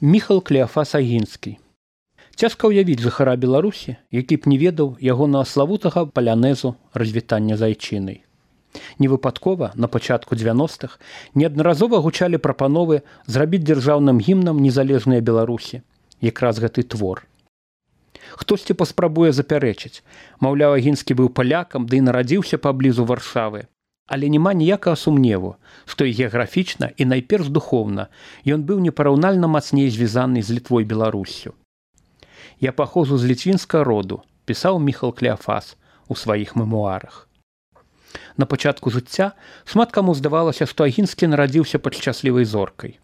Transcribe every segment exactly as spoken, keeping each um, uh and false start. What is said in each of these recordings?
Міхал Клеафас Агінскі. Цяжка ўявіць жыхара Беларусі, які б не ведаў ягонага славутага палянезу развітання з айчынай. Невыпадкова на пачатку дзевяностых неаднаразова гучалі прапановы зрабіць дзяржаўным гімнам незалежныя Беларусі, якраз гэты твор. Хтосьці паспрабуе запярэчыць, маўляў, Агінскі быў палякам, ды і нарадзіўся паблізу Варшавы. Але няма ніякага сумневу, што і геаграфічна, і найперш духоўна ён быў непараўнальна мацней звязаны з Літвой Беларуссю. «Я паходжу з ліцвінскага роду», пісаў Міхал Клеафас у сваіх мемуарах. На пачатку жыцця шмат каму здавалася, што Агінскі нарадзіўся пад шчаслівай зоркай.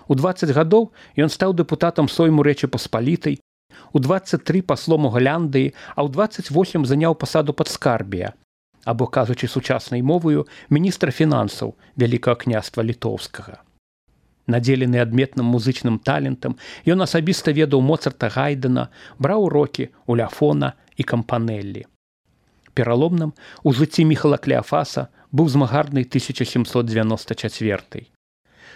У дваццаць гадоў ён стаў дэпутатам Сойму Рэчы Паспалітай, у дваццаць тры паслом у Галандыі, а ў дваццаць восем заняў пасаду падскарбія, або, кажучы сучаснай моваю, міністра фінансаў Вялікага княства Літоўскага. Надзелены адметным музычным талентам, ён асабіста ведаў Моцарта, Гайдена, браў урокі у Ляфона і Кампанеллі. Пераломным у жыцці Міхала Клеафаса быў змагарны тысяча сямсот дзевяноста чацвёрты.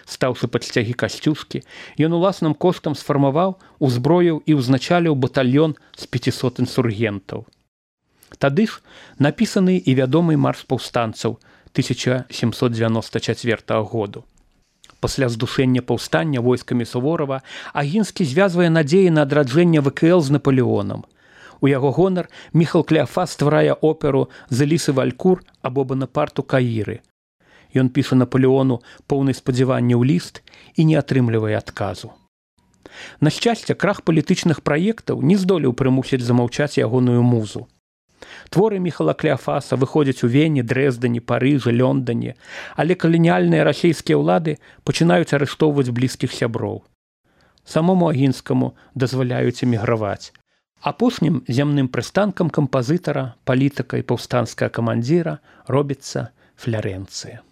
Стаўшы пад сцягі Касцюшкі, ён уласным коштам сфармаваў, узброіў і ўзначаліў батальён з пяцісот інсургентаў. Тады ж напісаны і вядомы марш паўстанцаў тысяча сямсот дзевяноста чацвёртага году. Пасля здушэння паўстання войскамі Суворава Агінскі звязвае надзеі на адраджэнне вэ ка эл з Напалеонам. У яго гонар Міхал Клеафас стварае оперу «З Элісы Валькур» або «Бонапарту Каіры». Ён піша Напалеону поўны спадзяванняў ліст і не атрымлівае адказу. На шчасце, крах палітычных праектаў не здолеў прымусіць замаўчаць ягоную музу. Творы Міхала Клеафаса выходзяць у Вене, Дрэздане, Парыжы, Лёндане, але каланіяльныя расейскія ўлады пачынаюць арыштоўваць блізкіх сяброў. Самому Агінскаму дазваляюць эміграваць. Апошнім зямным прыстанкам кампазітара, палітыка і паўстанцкага камандзіра робіцца Флярэнцыя.